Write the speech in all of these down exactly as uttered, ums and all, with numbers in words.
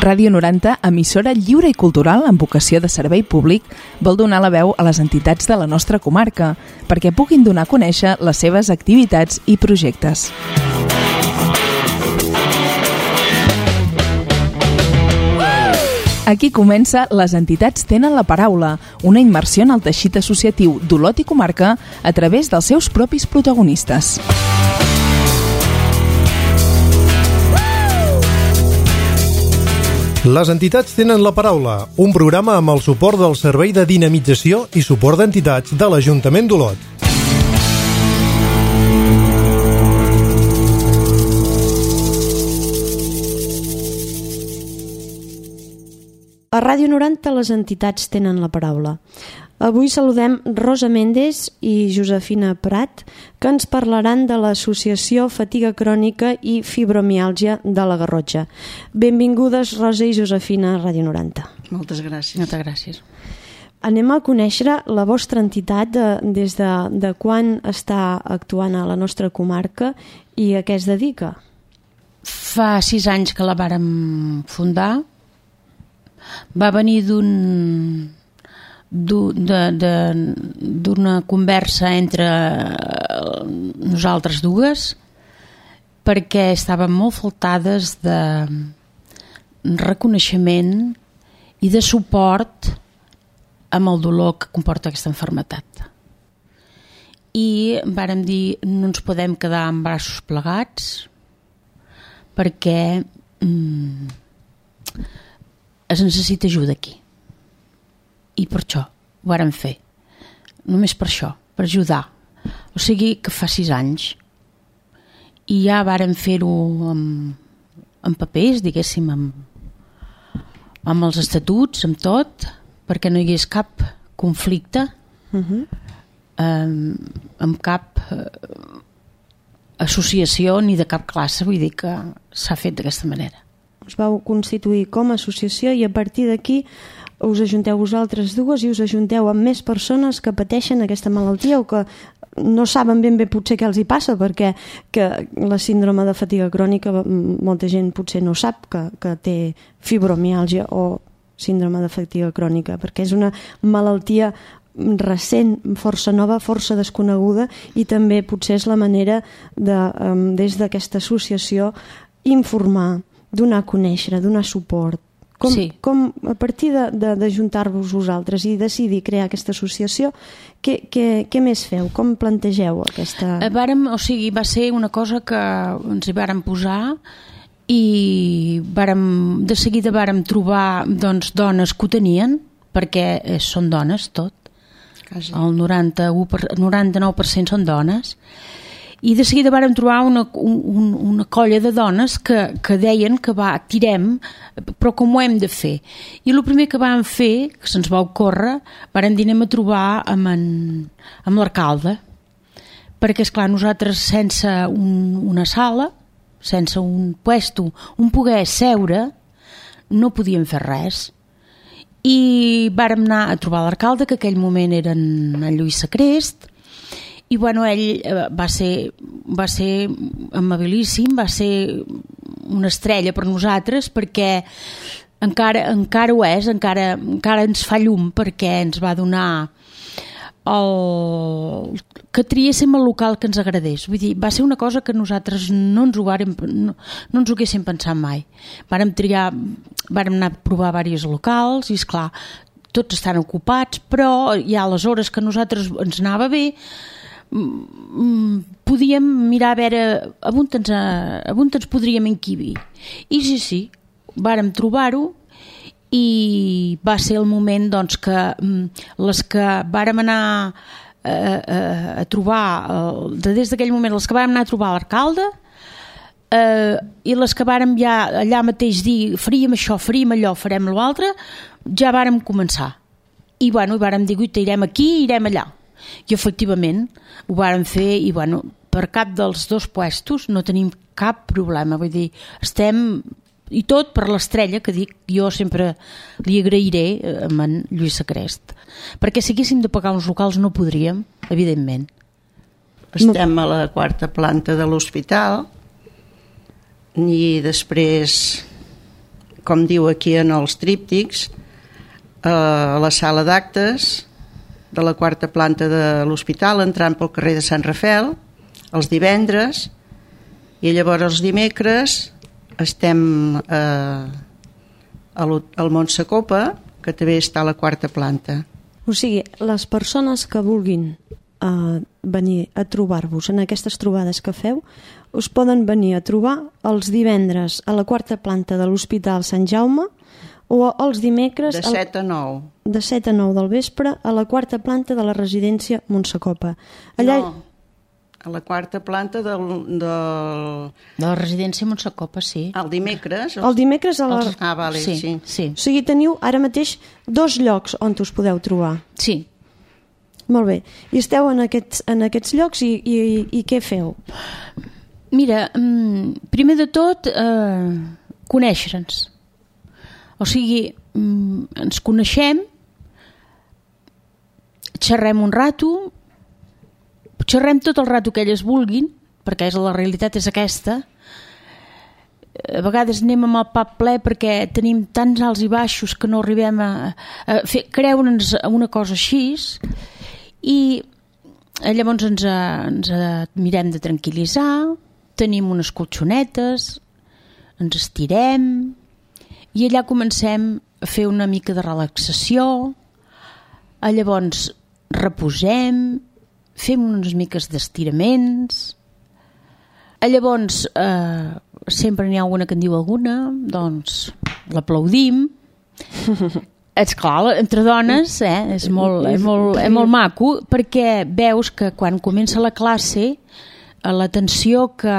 Ràdio noranta, emissora lliure i cultural amb vocació de servei públic, vol donar la veu a les entitats de la nostra comarca perquè puguin donar a conèixer les seves activitats i projectes. Aquí comença Les entitats tenen la paraula, una immersió en el teixit associatiu d'Olot i comarca a través dels seus propis protagonistes. Les entitats tenen la paraula, un programa amb el suport del Servei de Dinamització i Suport d'Entitats de l'Ajuntament d'Olot. A Ràdio noranta les entitats tenen la paraula. Avui saludem Rosa Méndez i Josefina Prat, que ens parlaran de l'Associació Fatiga Crònica i Fibromiàlgia de la Garrotxa. Benvingudes, Rosa i Josefina, a Ràdio noranta. Moltes gràcies. Moltes gràcies. Anem a conèixer la vostra entitat de, des de, de quan està actuant a la nostra comarca i a què es dedica. Fa sis anys que la vàrem fundar. Va venir d'un... d'una conversa entre nosaltres dues, perquè estàvem molt faltades de reconeixement i de suport amb el dolor que comporta aquesta malaltia. I vàrem dir, no ens podem quedar amb braços plegats perquè mm, es necessita ajuda aquí. I per això ho vàrem fer. Només per això, per ajudar. O sigui que fa sis anys. I ja vàrem fer-ho amb, amb papers, diguéssim, amb, amb els estatuts, amb tot, perquè no hi hagués cap conflicte, uh-huh. amb, amb cap eh, associació ni de cap classe, vull dir que s'ha fet d'aquesta manera. Us vau constituir com a associació i a partir d'aquí us ajunteu vosaltres dues i us ajunteu amb més persones que pateixen aquesta malaltia o que no saben ben bé potser què els hi passa, perquè que la síndrome de fatiga crònica molta gent potser no sap que, que té fibromiàlgia o síndrome de fatiga crònica, perquè és una malaltia recent, força nova, força desconeguda i també potser és la manera de, des d'aquesta associació, informar, donar a conèixer, donar suport. Com, sí. com a partir d'ajuntar-vos vosaltres i decidir crear aquesta associació, què, què, què més feu? Com plantegeu aquesta... Vàrem, o sigui, va ser una cosa que ens hi vàrem posar i vàrem, de seguida vàrem trobar doncs, dones que ho tenien, perquè són dones tot. Quasi. El noranta-u per, noranta-nou per cent són dones. I de seguida vàrem trobar una, un, una colla de dones que, que deien que va, tirem, però com ho hem de fer? I el primer que vam fer, que se'ns va ocórrer, vàrem dir anem a trobar amb, en, amb l'alcalde, perquè esclar, nosaltres sense un, una sala, sense un puesto, un poder seure, no podíem fer res. I vàrem anar a trobar l'alcalde, que en aquell moment era en Lluís Sacrest, i bueno, ell va ser, va ser amabilíssim, va ser una estrella per nosaltres perquè encara, encara ho és, encara, encara ens fa llum perquè ens va donar el... que triéssim el local que ens agradés. Vull dir, va ser una cosa que nosaltres no ens ho, vàrem, no, no ens ho haguéssim pensat mai. Vàrem triar, vàrem anar a provar diversos locals i esclar, tots estan ocupats, però hi ha les hores que a nosaltres ens anava bé, podíem mirar a veure on ens, on ens podríem encabir. I sí, sí, vàrem trobar-ho i va ser el moment doncs, que les que vàrem anar a, a, a trobar, des d'aquell moment, les que vàrem anar a trobar l'alcalde eh, i les que vàrem ja allà mateix dir faríem això, faríem allò, farem l'altre, ja vàrem començar. I bueno, vàrem dir, irem aquí, irem allà. I efectivament ho vàrem fer i bueno, per cap dels dos puestos no tenim cap problema, vull dir, estem i tot per l'estrella que dic, jo sempre li agrairé a en Lluís Sacrest, perquè si haguéssim de pagar uns locals no podríem, evidentment. estem a la quarta planta de l'hospital i després, com diu aquí en els tríptics, a la sala d'actes de la quarta planta de l'hospital, entrant pel carrer de Sant Rafel, els divendres, i llavors els dimecres estem eh, al Montsecopa, que també està a la quarta planta. O sigui, les persones que vulguin eh, venir a trobar-vos en aquestes trobades que feu, us poden venir a trobar els divendres a la quarta planta de l'Hospital Sant Jaume o els dimecres... De set a nou. De set a nou del vespre a la quarta planta de la residència Montsecopa. Allà... No, a la quarta planta del... del... De la residència Montsecopa, sí. El dimecres. El dimecres a la... Els... Ah, vale, sí, sí. sí. O sigui, teniu ara mateix dos llocs on us podeu trobar. Sí. Molt bé. I esteu en aquests, en aquests llocs i, i, i què feu? Mira, primer de tot, eh, conèixer-nos. O sigui, ens coneixem, xerrem un rato, xerrem tot el rato que elles vulguin, perquè és, la realitat és aquesta. A vegades anem amb el pap ple perquè tenim tants alts i baixos que no arribem a, a fer, creure'ns una cosa així, i llavors ens, ens mirem de tranquil·litzar, tenim unes colxonetes, ens estirem, i allà comencem a fer una mica de relaxació, llavors reposem, fem unes miques d'estiraments, llavors eh, sempre n'hi ha alguna que en diu alguna, doncs l'aplaudim. És clar, entre dones eh, és, molt, és, molt, és molt maco, perquè veus que quan comença la classe l'atenció que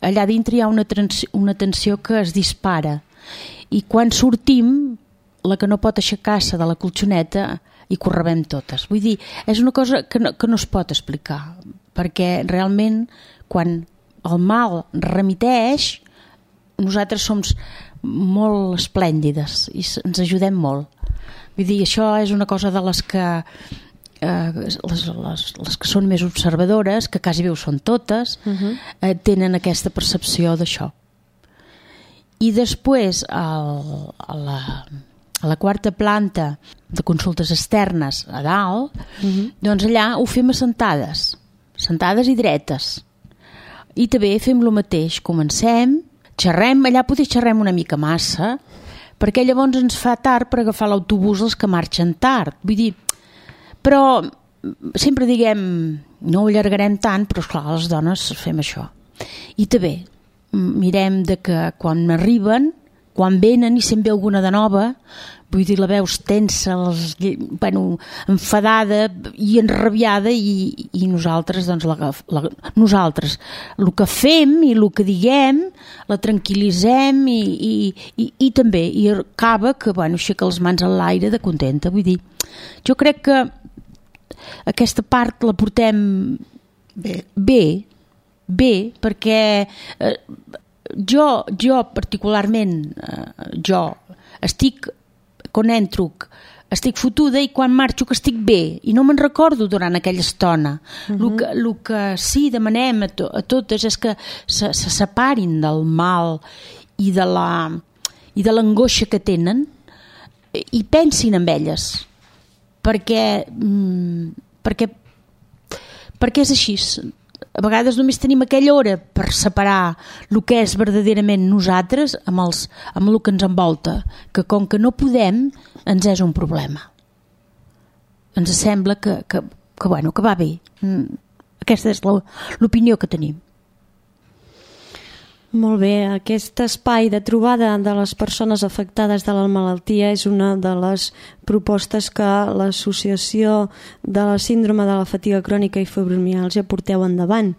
allà dintre hi ha una, trans, una tensió que es dispara, i quan sortim la que no pot aixecar-se de la colxoneta i correbem totes. Vull dir, és una cosa que no, que no es pot explicar, perquè realment quan el mal remiteix, nosaltres som molt esplèndides i ens ajudem molt. Vull dir, això és una cosa de les que eh, les, les, les que són més observadores, que quasi bé ho són totes, uh-huh. eh, tenen aquesta percepció d'això. I després al, a, la, a la quarta planta de consultes externes a dalt, uh-huh. doncs allà ho fem assentades, sentades i dretes. I també fem el mateix, comencem, xerrem, allà potser xerrem una mica massa, perquè llavors ens fa tard per agafar l'autobús els que marxen tard. Vull dir, però sempre diguem, no ho allargarem tant, però esclar, les dones fem això. I també mirem de que quan arriben, quan venen i se'n ve alguna de nova, vull dir, la veus tensa, les, bueno, enfadada i enrabiada, i, i nosaltres, doncs, la, la, nosaltres, el que fem i el que diguem, la tranquil·litzem i, i, i, i també, i acaba que, bueno, aixeca les mans a l'aire de contenta. Vull dir, jo crec que aquesta part la portem bé, bé, bé perquè eh, jo, jo particularment, eh, jo estic quan entro estic fotuda i quan marxo que estic bé i no me'n recordo durant aquella estona. Uh-huh. El que, el que sí demanem a, to, a totes és que se, se separin del mal i de la i de l'angoixa que tenen i pensin en elles, perquè perquè perquè és així. A vegades només tenim aquella hora per separar el que és verdaderament nosaltres amb, els, amb el que ens envolta, que com que no podem ens és un problema. Ens sembla que, que, que, bueno, que va bé. Aquesta és l'opinió que tenim. Molt bé, aquest espai de trobada de les persones afectades de la malaltia és una de les propostes que l'Associació de la Síndrome de la Fatiga Crònica i Fibromiàlgia porteu endavant,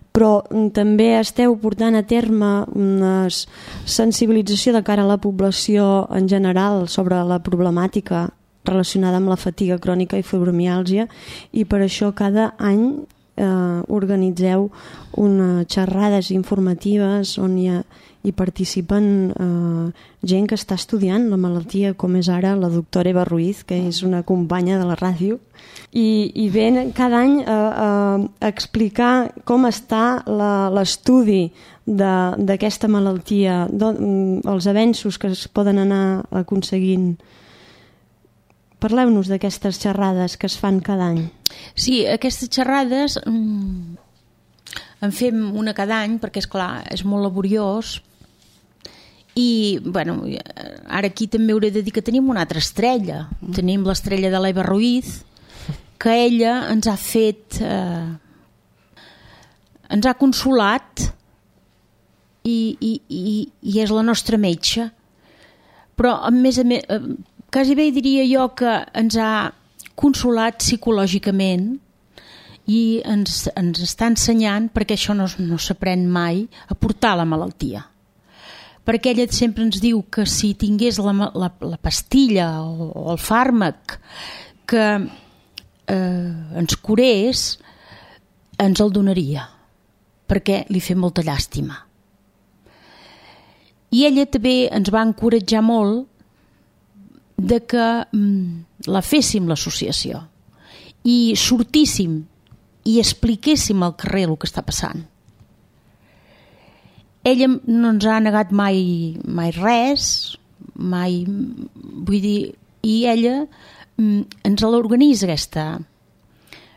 però també esteu portant a terme una sensibilització de cara a la població en general sobre la problemàtica relacionada amb la fatiga crònica i fibromiàlgia, i per això cada any eh, organitzeu unes xerrades informatives on hi, ha, hi participen eh, gent que està estudiant la malaltia, com és ara la doctora Eva Ruiz, que és una companya de la ràdio, i, i ven cada any a, a, a explicar com està l'estudi d'aquesta malaltia, do, els avenços que es poden anar aconseguint. Parleu-nos d'aquestes xerrades que es fan cada any. Sí, aquestes xerrades mm, en fem una cada any perquè, és clar, és molt laboriós i, bueno, ara aquí també hauré de dir que tenim una altra estrella. Mm. Tenim l'estrella de l'Eva Ruiz, que ella ens ha fet... Eh, ens ha consolat i, i, i, i és la nostra metge. Però, a més a més... Eh, quasi bé diria jo que ens ha consolat psicològicament i ens, ens està ensenyant, perquè això no, no s'aprèn mai, a portar la malaltia. Perquè ella sempre ens diu que si tingués la, la, la pastilla o, o el fàrmac que eh, ens curés, ens el donaria, perquè li fa molta llàstima. I ella també ens va encoratjar molt de que mm, la féssim l'associació i sortíssim i expliquéssim al carrer el que està passant. Ella no ens ha negat mai, mai res, mai, vull dir, i ella mm, ens l'organitza aquesta,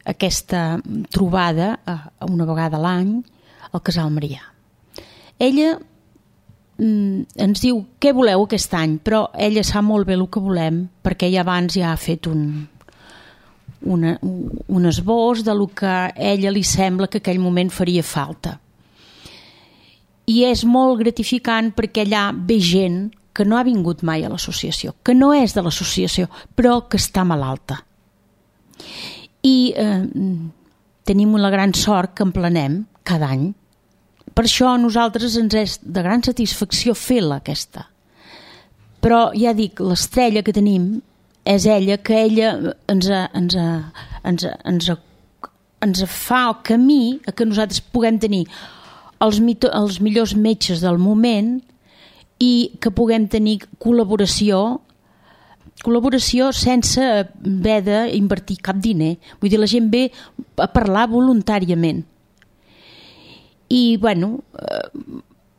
aquesta trobada una vegada a l'any al Casal Marià. Ella ens diu què voleu aquest any, però ella sap molt bé el que volem perquè ella abans ja ha fet un, una, un esbós de lo que a ella li sembla que aquell moment faria falta. I és molt gratificant perquè allà ve gent que no ha vingut mai a l'associació, que no és de l'associació, però que està malalta. I eh, tenim la gran sort que emplenem cada any. Per això a nosaltres ens és de gran satisfacció fer-la aquesta. Però ja dic, l'estrella que tenim és ella, que ella ens, ens, ens, ens, ens fa el camí a que nosaltres puguem tenir els, mito, els millors metges del moment i que puguem tenir col·laboració col·laboració sense haver d'invertir cap diner. Vull dir, la gent ve a parlar voluntàriament. I, bueno,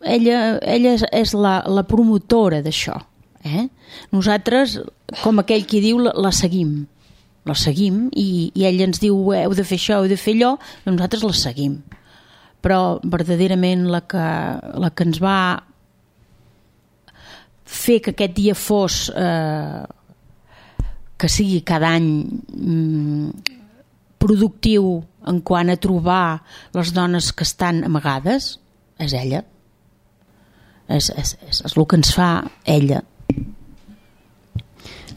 ella, ella és la, la promotora d'això. Eh? Nosaltres, com aquell qui diu, la, la seguim. La seguim i, i ella ens diu heu de fer això, heu de fer allò, i nosaltres la seguim. Però, verdaderament, la que, la que ens va fer que aquest dia fos... Eh, que sigui cada any mm, productiu en quant a trobar les dones que estan amagades, és ella. És, és, és, és el que ens fa ella.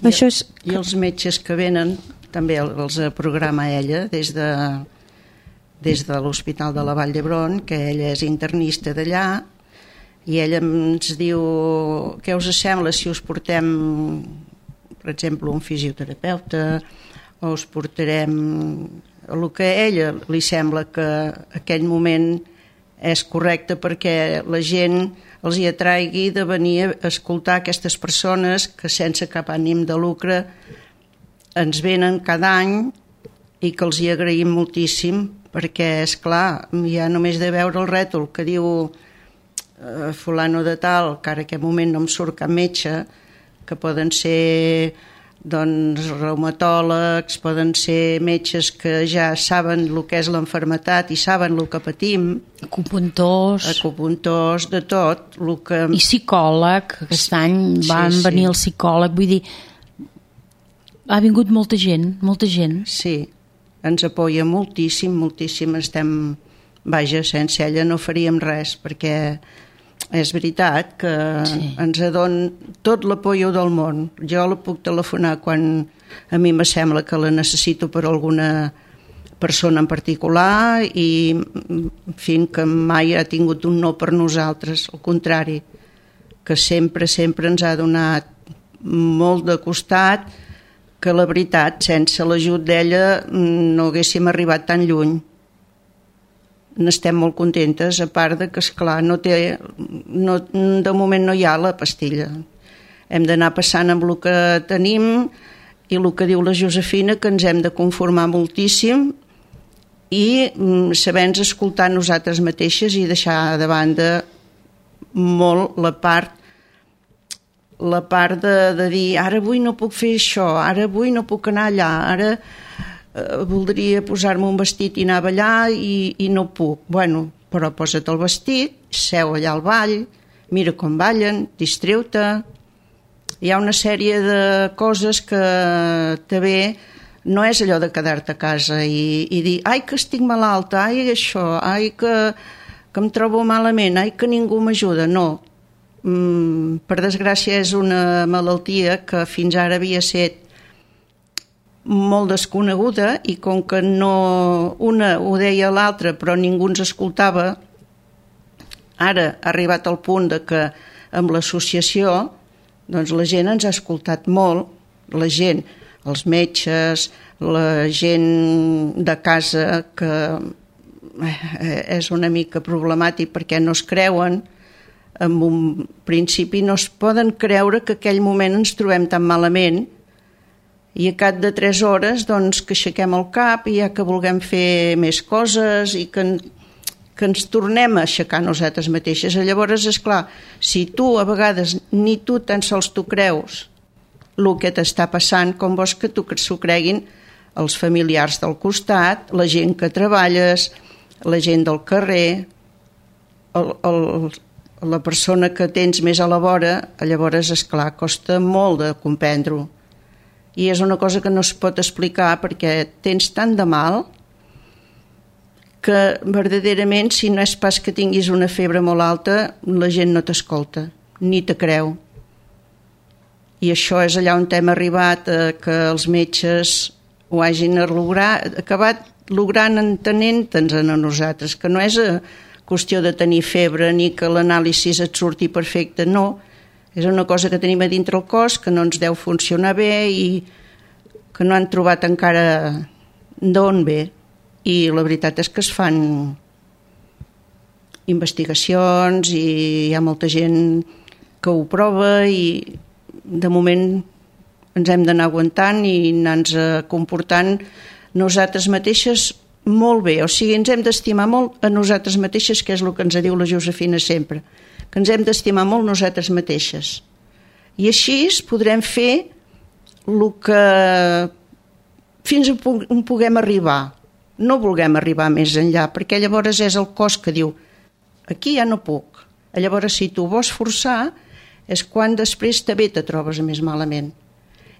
I, Això és... I els metges que venen també els programa ella des de, des de l'Hospital de la Vall d'Hebron, que ella és internista d'allà, i ella ens diu què us sembla si us portem, per exemple, un fisioterapeuta, o us portarem el que a ella li sembla que aquell moment és correcte perquè la gent els hi atraigui de venir a escoltar aquestes persones que sense cap ànim de lucre ens venen cada any i que els hi agraïm moltíssim perquè, és clar, ja només de veure el rètol que diu eh, fulano de tal, que ara en aquest moment no em surt cap metge, que poden ser doncs, reumatòlegs, poden ser metges que ja saben el que és l'enfermetat i saben el que patim. Acupuntors. Acupuntors, de tot. El que... I psicòleg, aquest any van sí, venir sí. el psicòleg, vull dir, ha vingut molta gent, molta gent. Sí, ens apoya moltíssim, moltíssim, estem, vaja, sense ella no faríem res, perquè és veritat que sí. ens adon tot l'apoyo del món. Jo la puc telefonar quan a mi me sembla que la necessito per alguna persona en particular i en fi, que mai ha tingut un no per nosaltres, al contrari, que sempre, sempre ens ha donat molt de costat, que la veritat, sense l'ajut d'ella no haguéssim arribat tan lluny. n'estem molt contentes, a part de que, esclar, no té, no, de moment no hi ha la pastilla. Hem d'anar passant amb el que tenim i el que diu la Josefina, que ens hem de conformar moltíssim i saber-nos escoltar nosaltres mateixes i deixar de banda molt la part la part de, de dir ara avui no puc fer això, ara avui no puc anar allà, ara eh, voldria posar-me un vestit i anar a ballar i, i no puc. Bueno, però posa't el vestit, seu allà al ball, mira com ballen, distreu-te. Hi ha una sèrie de coses que també no és allò de quedar-te a casa i, i dir ai que estic malalta, ai això, ai que, que em trobo malament, ai que ningú m'ajuda. No, mm, per desgràcia és una malaltia que fins ara havia estat molt desconeguda i com que no una ho deia l'altra però ningú ens escoltava, ara ha arribat al punt de que amb l'associació doncs la gent ens ha escoltat molt, la gent, els metges, la gent de casa, que és una mica problemàtic perquè no es creuen, en un principi no es poden creure que aquell moment ens trobem tan malament i a cap de tres hores doncs, que aixequem el cap i ja que vulguem fer més coses i que, que ens tornem a aixecar nosaltres mateixes. Llavors, esclar, si tu a vegades ni tu tan sols tu creus el que t'està passant, com vols que tu s'ho creguin els familiars del costat, la gent que treballes, la gent del carrer, el, el, la persona que tens més a la vora, llavors, esclar, costa molt de comprendre-ho. I és una cosa que no es pot explicar perquè tens tant de mal que verdaderament si no és pas que tinguis una febre molt alta la gent no t'escolta, ni te creu. I això és allà on hem arribat a que els metges ho hagin lograt, acabat logrant entenent-nos a nosaltres, que no és qüestió de tenir febre ni que l'anàlisi et surti perfecte, no. És una cosa que tenim a dintre el cos que no ens deu funcionar bé i que no han trobat encara d'on ve. I la veritat és que es fan investigacions i hi ha molta gent que ho prova i de moment ens hem d'anar aguantant i anar-nos comportant nosaltres mateixes molt bé. O sigui, ens hem d'estimar molt a nosaltres mateixes, que és el que ens diu la Josefina sempre, que ens hem d'estimar molt nosaltres mateixes. I així podrem fer el que fins on puguem arribar. No vulguem arribar més enllà, perquè llavors és el cos que diu aquí ja no puc. Llavors, si tu vols forçar, és quan després també te trobes més malament.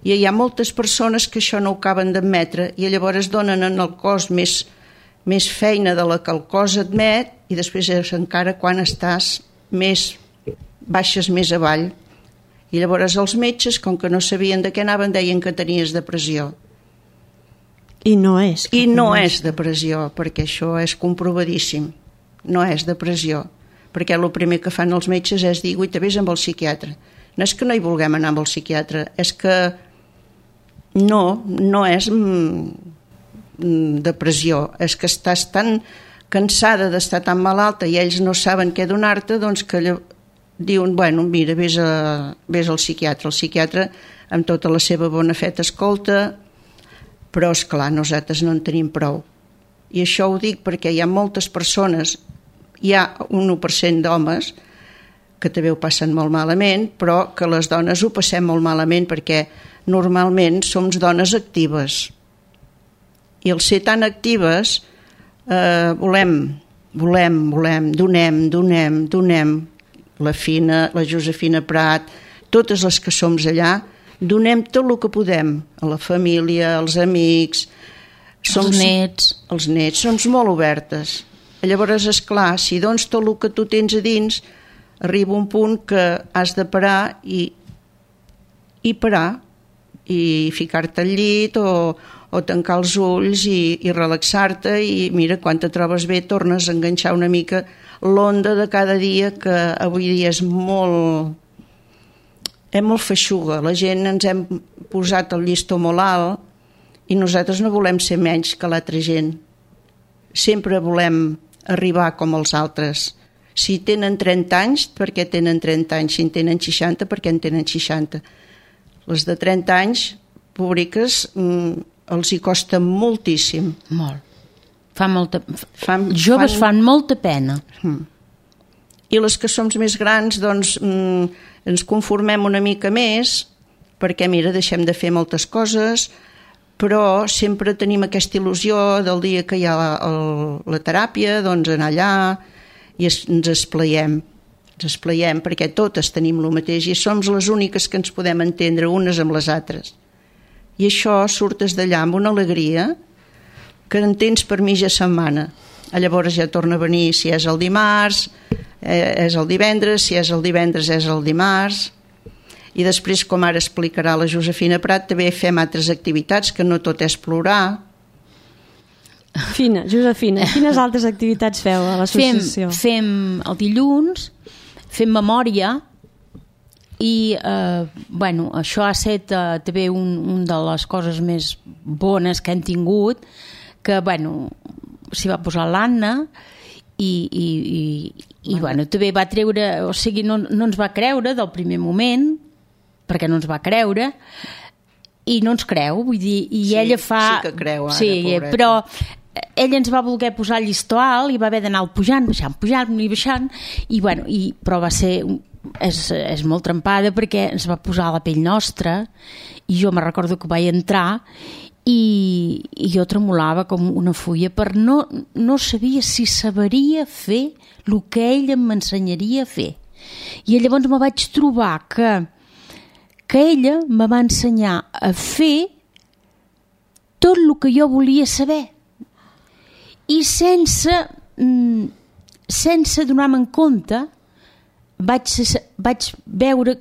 I hi ha moltes persones que això no ho acaben d'admetre i llavors donen en el cos més, més feina de la que el cos admet i després és encara quan estàs més baixes més avall. I llavors els metges, com que no sabien de què anaven, deien que tenies depressió. I no és. I no és depressió, perquè això és comprovadíssim. No és depressió, perquè el primer que fan els metges és dir, ui, te ves amb el psiquiatre. No és que no hi vulguem anar amb el psiquiatre, és que no, no és depressió, és que estàs tan cansada d'estar tan malalta i ells no saben què donar-te, doncs que diuen, bueno, mira, vés, a, vés al psiquiatre. El psiquiatre, amb tota la seva bona fe, t'escolta, però, esclar, nosaltres no en tenim prou. I això ho dic perquè hi ha moltes persones, hi ha un u per cent d'homes que també ho passen molt malament, però que les dones ho passem molt malament perquè normalment som dones actives. I al ser tan actives eh, volem, volem, volem, donem, donem, donem, la Fina, la Josefina Prat, totes les que som allà, donem tot el que podem, a la família, als amics, som, els nets. Els nets, som molt obertes. Llavors, esclar, si dones tot el que tu tens a dins, arriba un punt que has de parar i, i parar, i ficar-te al llit o, o tancar els ulls i, i relaxar-te i mira, quan te trobes bé tornes a enganxar una mica l'onda de cada dia, que avui dia és molt és molt feixuga, la gent ens hem posat el llistó molt alt i nosaltres no volem ser menys que l'altra gent, sempre volem arribar com els altres. Si tenen trenta anys, perquè tenen trenta anys? Si en tenen seixanta, perquè en tenen seixanta? Les de trenta anys, públiques, els hi costa moltíssim. Molt. Fa molta... Fan, Els joves fan... fan molta pena. Mm. I les que som més grans, doncs, mm, ens conformem una mica més, perquè, mira, deixem de fer moltes coses, però sempre tenim aquesta il·lusió del dia que hi ha el, la teràpia, doncs anar allà i es, ens esplaiem. Ens esplaiem perquè totes tenim el mateix i som les úniques que ens podem entendre unes amb les altres. I això surtes d'allà amb una alegria que en tens per mitja setmana. Llavors ja torna a venir si és el dimarts, eh, és el divendres, si és el divendres és el dimarts, i després, com ara explicarà la Josefina Prat, també fem altres activitats, que no tot és plorar. Fina, Josefina, quines altres activitats feu a l'associació? Fem, fem el dilluns, fem memòria, i eh, bueno, això ha estat eh, també un, un de les coses més bones que hem tingut, que bueno, s'hi va posar l'Anna i, i, i, i bueno, també va treure, o sigui, no, no ens va creure del primer moment, perquè no ens va creure i no ens creu, vull dir, i sí, ella fa... Sí que creu ara, sí, pobreta. Però ella ens va voler posar el llistó alt i va haver d'anar pujant, baixant, pujant i baixant, i bueno, i, però va ser... És, és molt trempada perquè ens va posar a la pell nostra i jo me recordo que vaig entrar i, i jo tremolava com una fulla per no, no sabia si sabria fer el que ella m'ensenyaria a fer, i llavors me vaig trobar que que ella me va ensenyar a fer tot el que jo volia saber i sense sense donar-me en compte vaig, vaig veure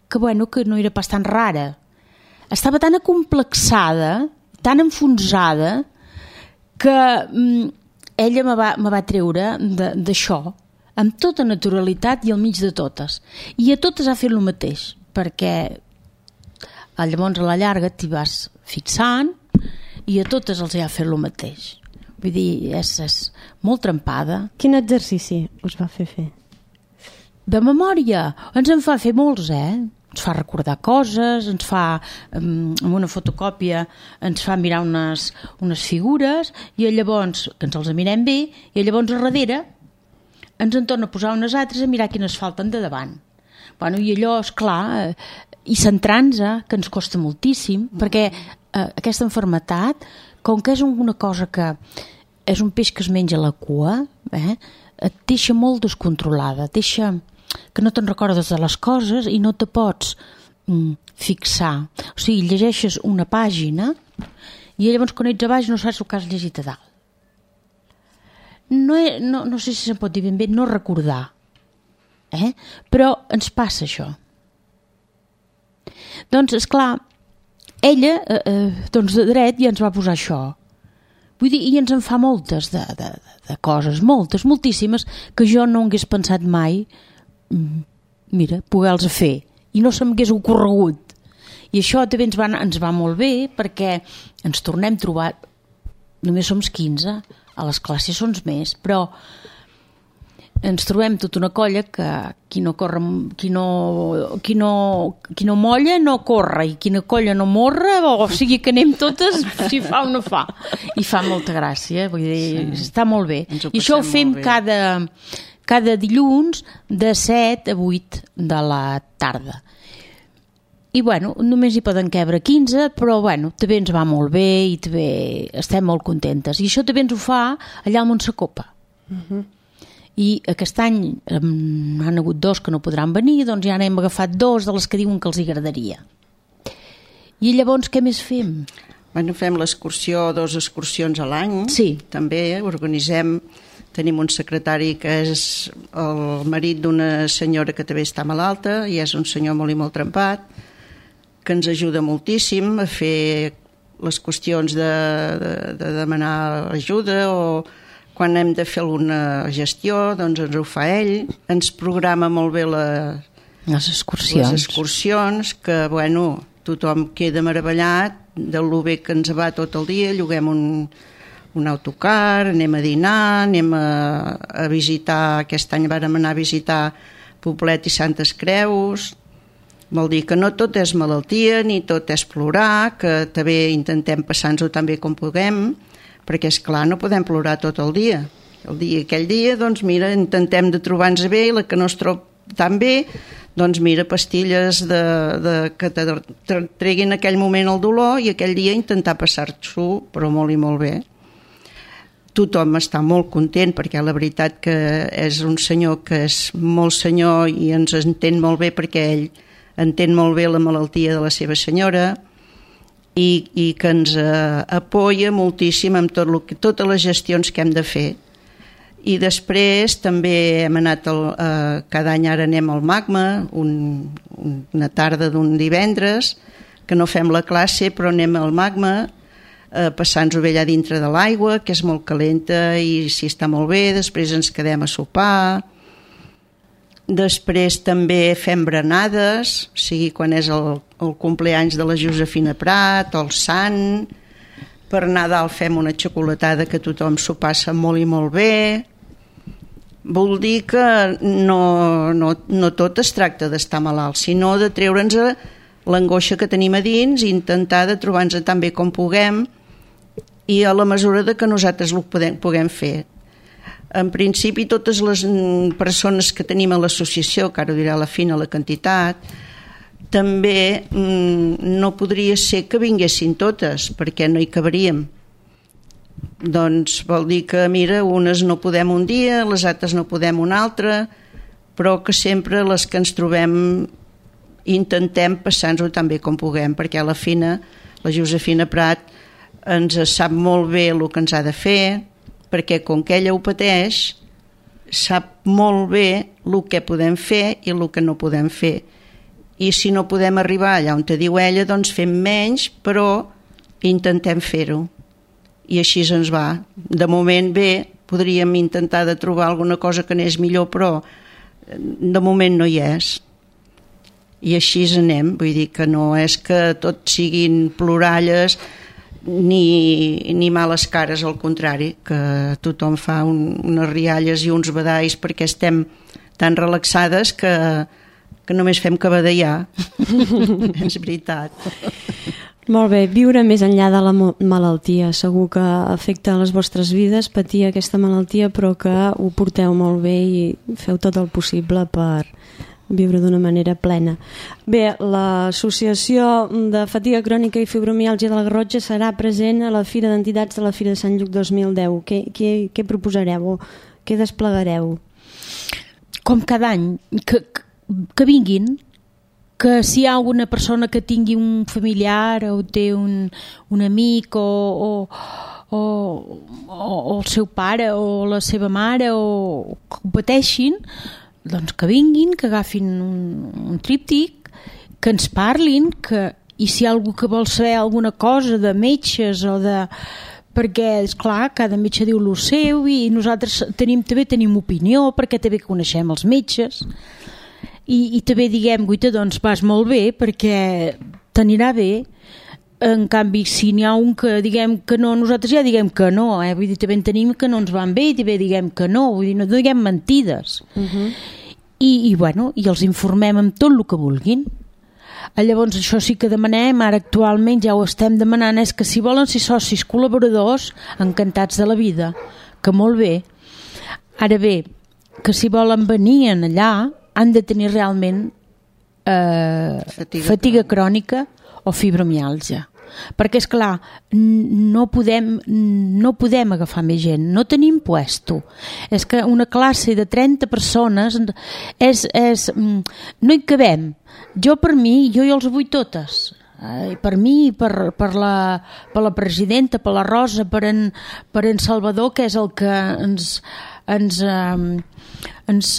que, bueno, que no era pas tan rara. Estava tan acomplexada, tan enfonsada, que mm, ella me va, me va treure d'això amb tota naturalitat i al mig de totes. I a totes ha fet el mateix, perquè llavors a la llarga t'hi vas fixant i a totes els ha fet el mateix. Vull dir, és, és molt trempada. Quin exercici us va fer fer? De memòria, ens en fa fer molts, eh? Ens fa recordar coses, ens fa, amb una fotocòpia, ens fa mirar unes, unes figures, i llavors, que ens els mirem bé, i llavors a darrere ens en torna a posar unes altres a mirar quines falten de davant. Bueno, i allò, esclar, i centrant-nos, que ens costa moltíssim, perquè eh, aquesta malaltia, com que és una cosa que és un peix que es menja la cua, eh, et deixa molt descontrolada, et deixa que no te'n recordes de les coses i no te pots mm, fixar. O sigui, llegeixes una pàgina i llavors quan ets a baix no saps el que has llegit a dalt. No, he, no, no sé si se'n pot dir ben bé no recordar, eh? Però ens passa això. Doncs, esclar, ella eh, eh, doncs de dret ja ens va posar això. Vull dir, i ens en fa moltes de, de, de coses, moltes, moltíssimes, que jo no hagués pensat mai, mira, poder-los fer. I no se m'hagués ocorregut. I això també ens va, ens va molt bé, perquè ens tornem a trobar, només som quinze, a les classes són més, però ens trobem tota una colla que qui no corre, qui no, qui no, qui no molla no corre, i quina colla no morra, o sigui que anem totes si fa o no fa, i fa molta gràcia, vull dir, sí. Està molt bé, i això ho fem cada, cada dilluns de set a vuit de la tarda. I bueno, només hi poden cabre quinze, però bueno, també ens va molt bé i també estem molt contentes, i això també ens ho fa allà al Montsacopa. Uh-huh. I aquest any um, han hagut dos que no podran venir, doncs ja n'hem agafat dos de les que diuen que els agradaria. I llavors què més fem? Bueno, fem l'excursió, dues excursions a l'any. Sí. També organitzem, tenim un secretari que és el marit d'una senyora que també està malalta i és un senyor molt i molt trempat, que ens ajuda moltíssim a fer les qüestions de, de, de demanar ajuda, o quan hem de fer alguna gestió, doncs ens ho fa ell. Ens programa molt bé la, les excursions. les excursions, que bueno, tothom queda meravellat de lo bé que ens va tot el dia. Lloguem un, un autocar, anem a dinar, anem a, a visitar, aquest any vàrem anar a visitar Poblet i Santes Creus. Vol dir que no tot és malaltia ni tot és plorar, que també intentem passar-nos-ho tan bé com puguem, perquè és clar, no podem plorar tot el dia. El dia, aquell dia, doncs mira, intentem de trobar-nos bé, i la que no es troba tan bé, doncs mira, pastilles de, de, que te treguin aquell moment el dolor, i aquell dia intentar passar-s'ho, però molt i molt bé. Tothom està molt content, perquè la veritat que és un senyor que és molt senyor i ens entén molt bé, perquè ell entén molt bé la malaltia de la seva senyora, i, i que ens eh, apoya moltíssim amb tot lo que, totes les gestions que hem de fer. I després també hem anat, el, eh, cada any ara anem al Magma, un, una tarda d'un divendres, que no fem la classe, però anem al Magma, eh, passant-nos-ho bé allà dintre de l'aigua, que és molt calenta i si està molt bé, després ens quedem a sopar. Després també fem berenades, o sigui, quan és el, el compleanys de la Josefina Prat o el Sant. Per Nadal fem una xocolatada que tothom s'ho passa molt i molt bé. Vol dir que no, no, no tot es tracta d'estar malalt, sinó de treure'ns l'angoixa que tenim a dins i intentar de trobar-nos tan bé com puguem i a la mesura de que nosaltres ho podem, puguem fer. En principi, totes les persones que tenim a l'associació, que ara ho dirà la Fina la quantitat, també no podria ser que vinguessin totes, perquè no hi cabaríem. Doncs vol dir que, mira, unes no podem un dia, les altres no podem un altre, però que sempre les que ens trobem intentem passar-nos-ho tan bé com puguem, perquè a la Fina, la Josefina Prat, ens sap molt bé el que ens ha de fer, perquè com que ella ho pateix, sap molt bé el que podem fer i el que no podem fer. I si no podem arribar allà on te diu ella, doncs fem menys, però intentem fer-ho. I així ens va. De moment bé, podríem intentar de trobar alguna cosa que n'és millor, però de moment no hi és. I així anem, vull dir que no és que tot siguin ploralles ni, ni males cares, al contrari, que tothom fa un, unes rialles i uns badalls perquè estem tan relaxades que, que només fem que badallar. És veritat. Molt bé, viure més enllà de la malaltia. Segur que afecta les vostres vides patir aquesta malaltia, però que ho porteu molt bé i feu tot el possible per viure d'una manera plena. Bé, l'Associació de Fatiga Crònica i Fibromiàlgia de la Garrotxa serà present a la Fira d'Entitats de la Fira de Sant Lluc dos mil deu. Què, què, què proposareu? Què desplegareu? Com cada any, que, que vinguin, que si hi ha alguna persona que tingui un familiar o té un, un amic o, o, o, o el seu pare o la seva mare o que ho pateixin, doncs que vinguin, que agafin un, un tríptic, que ens parlin, que, i si hi ha algú que vol saber alguna cosa de metges o de... perquè, esclar, cada metge diu el seu i nosaltres tenim, també tenim opinió perquè també coneixem els metges i, i també diguem, guita, doncs vas molt bé perquè t'anirà bé. En canvi, si n'hi ha un que diguem que no, nosaltres ja diguem que no, eh? Vull dir, també en tenim que no ens van bé i també diguem que no, vull dir, no diguem mentides. Uh-huh. I, i, bueno, i els informem amb tot el que vulguin. Llavors, això sí que demanem, ara actualment ja ho estem demanant, és que si volen ser socis col·laboradors, encantats de la vida, que molt bé. Ara bé, que si volen venir allà, han de tenir realment eh, fatiga, fatiga crònica o fibromiàlgia. Perquè, és clar, no podem, no podem agafar més gent, no tenim puesto. És que una classe de trenta persones és, és, no hi cabem. Jo per mi, jo i els vull totes. Eh, per mi, per, per, la, per la presidenta, per la Rosa, per en, per en Salvador, que és el que ens, ens, eh, ens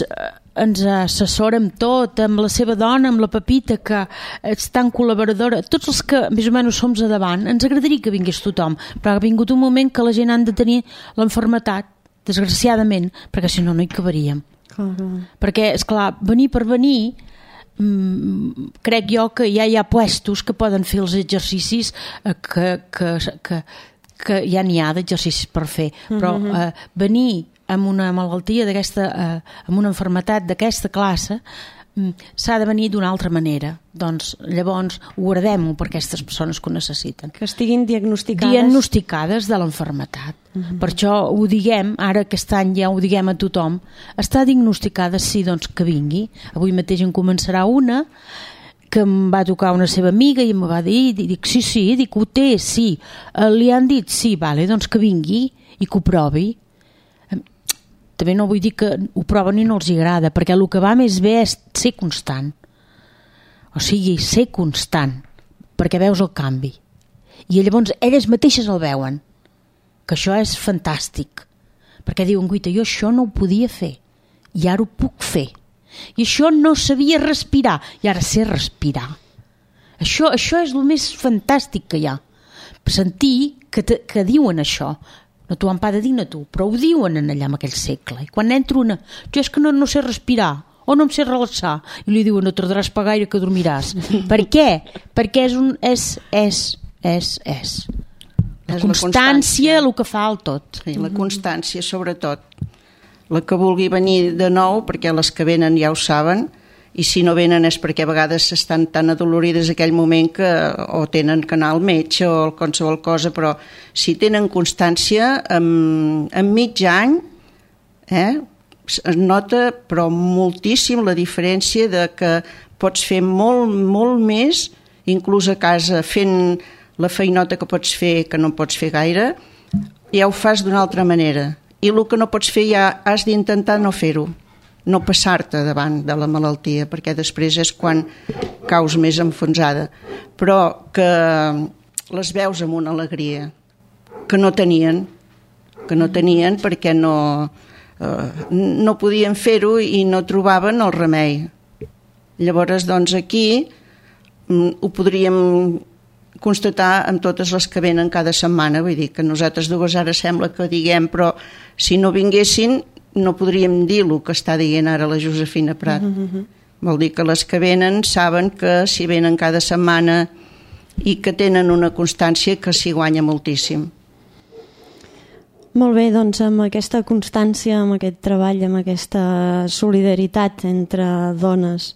ens assessora amb tot, amb la seva dona, amb la Pepita, que és tan col·laboradora, tots els que més o menys som a davant, ens agradaria que vingués tothom, però ha vingut un moment que la gent ha de tenir l'enfermetat, desgraciadament, perquè si no no hi cabaríem. Uh-huh. Perquè, esclar, venir per venir, mmm, crec jo que ja hi ha puestos que poden fer els exercicis eh, que, que, que, que ja n'hi ha d'exercicis per fer, però eh, venir amb una malaltia d'aquesta, eh, amb una malaltia d'aquesta classe, s'ha de venir d'una altra manera. Doncs llavors ho guardem per aquestes persones que ho necessiten. Que estiguin diagnosticades. Diagnosticades de l'enfermetat. Uh-huh. Per això ho diguem, ara aquest any ja ho diguem a tothom, està diagnosticada, sí, doncs que vingui. Avui mateix en començarà una que em va tocar una seva amiga i em va dir, dic, sí, sí, dic, ho té, sí. Li han dit, sí, vale, doncs que vingui i que ho provi. També no vull dir que ho proven i no els agrada, perquè el que va més bé és ser constant. O sigui, ser constant, perquè veus el canvi. I llavors elles mateixes el veuen, que això és fantàstic. Perquè diuen, guita, jo això no ho podia fer, i ara ho puc fer. I això no sabia respirar, i ara sé respirar. Això, això és el més fantàstic que hi ha. Sentir que, te, que diuen això. No t'ho han pas de dir a tu, però ho diuen allà en aquell segle. I quan entra una, jo és que no, no sé respirar, o no em sé relaxar, i li diuen, no tardaràs per gaire que dormiràs. Per què? Perquè és un... és, és, és, és. La és constància, el que fa el tot. Sí, la constància, sobretot. La que vulgui venir de nou, perquè les que venen ja ho saben, i si no venen és perquè a vegades estan tan adolorides aquell moment que o tenen que anar al metge o qualsevol cosa, però si tenen constància, en, en mig any eh, es nota però moltíssim la diferència de que pots fer molt, molt més, inclús a casa fent la feinota que pots fer, que no pots fer gaire, ja ho fas d'una altra manera. I el que no pots fer ja has d'intentar no fer-ho, no passar-te davant de la malaltia, perquè després és quan caus més enfonsada. Però que les veus amb una alegria que no tenien, que no tenien perquè no, eh, no podien fer-ho i no trobaven el remei. Llavors, doncs, aquí ho podríem constatar amb totes les que venen cada setmana, vull dir que nosaltres dues ara sembla que diguem, però si no vinguessin no podríem dir el que està dient ara la Josefina Prat. Uh-huh. Vol dir que les que venen saben que si venen cada setmana i que tenen una constància que s'hi guanya moltíssim. Molt bé, doncs amb aquesta constància, amb aquest treball, amb aquesta solidaritat entre dones,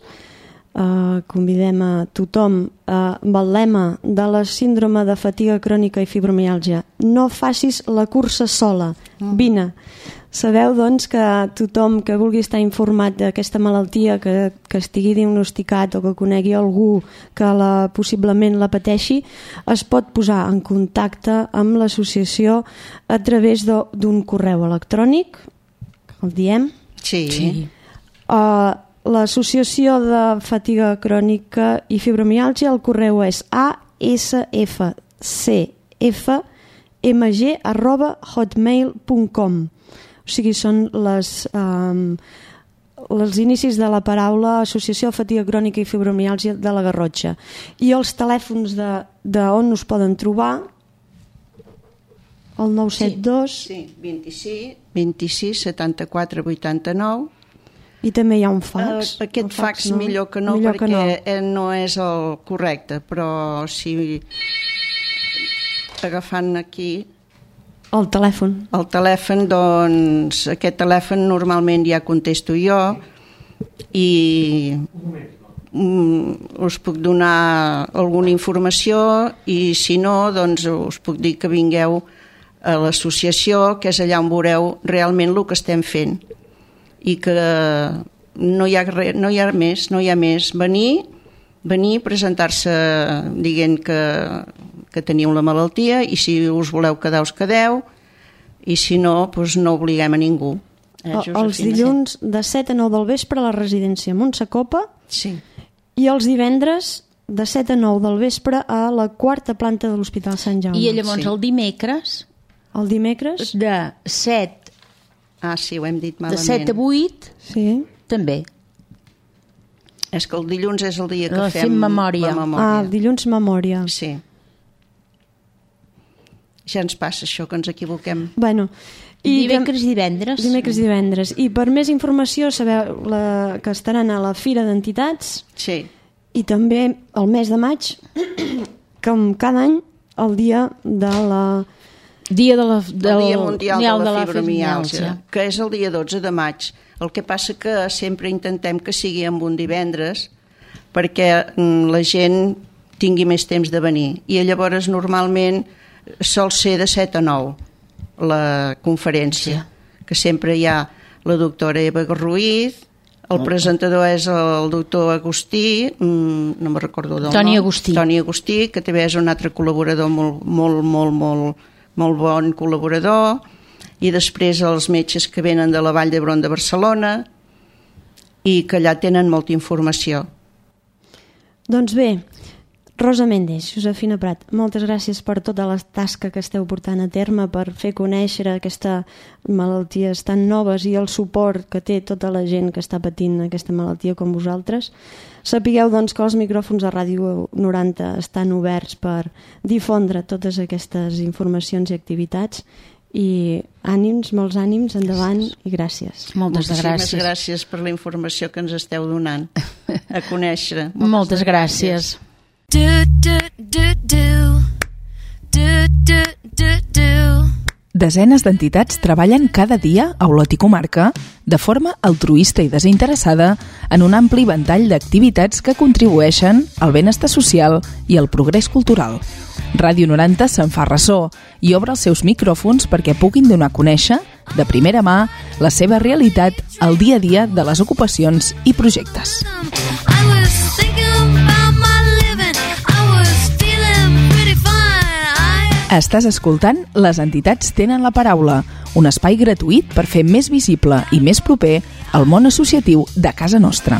Uh, convidem a tothom uh, amb el lema de la síndrome de fatiga crònica i fibromiàlgia: no facis la cursa sola, vine. Sabeu doncs que tothom que vulgui estar informat d'aquesta malaltia, que, que estigui diagnosticat o que conegui algú que la, possiblement la pateixi, es pot posar en contacte amb l'associació a través d'un correu electrònic, el diem? Sí. sí. Uh, L'associació de fatiga crònica i fibromiàlgia, el correu és a s f c f m g arroba hotmail punt com. O sigui, són les, um, els inicis de la paraula Associació de Fatiga Crònica i Fibromiàlgia de la Garrotxa. I els telèfons de, de on us poden trobar, el nou set dos... Sí, sí, vint-i-sis, vint-i-sis, setanta-quatre, vuitanta-nou. I també hi ha un fax. Uh, aquest fax, fax no? millor que no, millor perquè que no. no és el correcte, però si agafant aquí el telèfon el telèfon, doncs aquest telèfon normalment ja contesto jo i mm, us puc donar alguna informació i si no, doncs us puc dir que vingueu a l'associació, que és allà on veureu realment el que estem fent i que no hi ha, res, no hi ha més, no hi ha més. Venir, venir presentar-se dient que, que teniu la malaltia i si us voleu quedar, us quedeu i si no, doncs no obliguem a ningú. Eh, els dilluns de set a nou del vespre a la residència Montsacopa sí. i els divendres de set a nou del vespre a la quarta planta de l'Hospital Sant Jaume. I llavors sí. el dimecres el dimecres de set Ah, sí, ho hem dit malament. De set a vuit, sí. també. És que el dilluns és el dia que la fem, fem memòria. la memòria. Ah, el dilluns memòria. Sí. Ja ens passa això, que ens equivoquem. Bueno, i dimecres i divendres. Dimecres i divendres. I per més informació sabeu la, que estaran a la Fira d'Entitats. Sí. I també el mes de maig, com cada any, el dia de la Dia de la, del, el Dia Mundial de la, de la Fibromiàlgia, fibromiàlgia, que és el dia dotze de maig. El que passa que sempre intentem que sigui amb un divendres perquè la gent tingui més temps de venir. I llavors normalment sol ser de set a nou la conferència, sí. Que sempre hi ha la doctora Eva Ruiz, el presentador és el doctor Agustí, no me'n recordo del Toni nom. Agustí. Toni Agustí, que també és un altre col·laborador molt, molt, molt, molt, molt bon col·laborador, i després els metges que venen de la Vall d'Hebron de Barcelona i que allà tenen molta informació. Doncs bé, Rosa Méndez, Josefina Prat, moltes gràcies per tota la tasca que esteu portant a terme, per fer conèixer aquestes malalties tan noves i el suport que té tota la gent que està patint aquesta malaltia com vosaltres. Sapigueu doncs que els micròfons de Ràdio noranta estan oberts per difondre totes aquestes informacions i activitats, i ànims, molts ànims, endavant i gràcies. Moltes Moltíssimes gràcies. gràcies per la informació que ens esteu donant a conèixer. Moltes, Moltes gràcies. gràcies. Do, do, do, do. Do, do, do, do. Desenes d'entitats treballen cada dia a Olot i comarca de forma altruista i desinteressada en un ampli ventall d'activitats que contribueixen al benestar social i al progrés cultural. Ràdio noranta se'n fa ressò i obre els seus micròfons perquè puguin donar a conèixer, de primera mà, la seva realitat al dia a dia de les ocupacions i projectes. I was thinking about my living. I was feeling pretty fine. I... Estàs escoltant Les entitats tenen la paraula, un espai gratuït per fer més visible i més proper el món associatiu de casa nostra.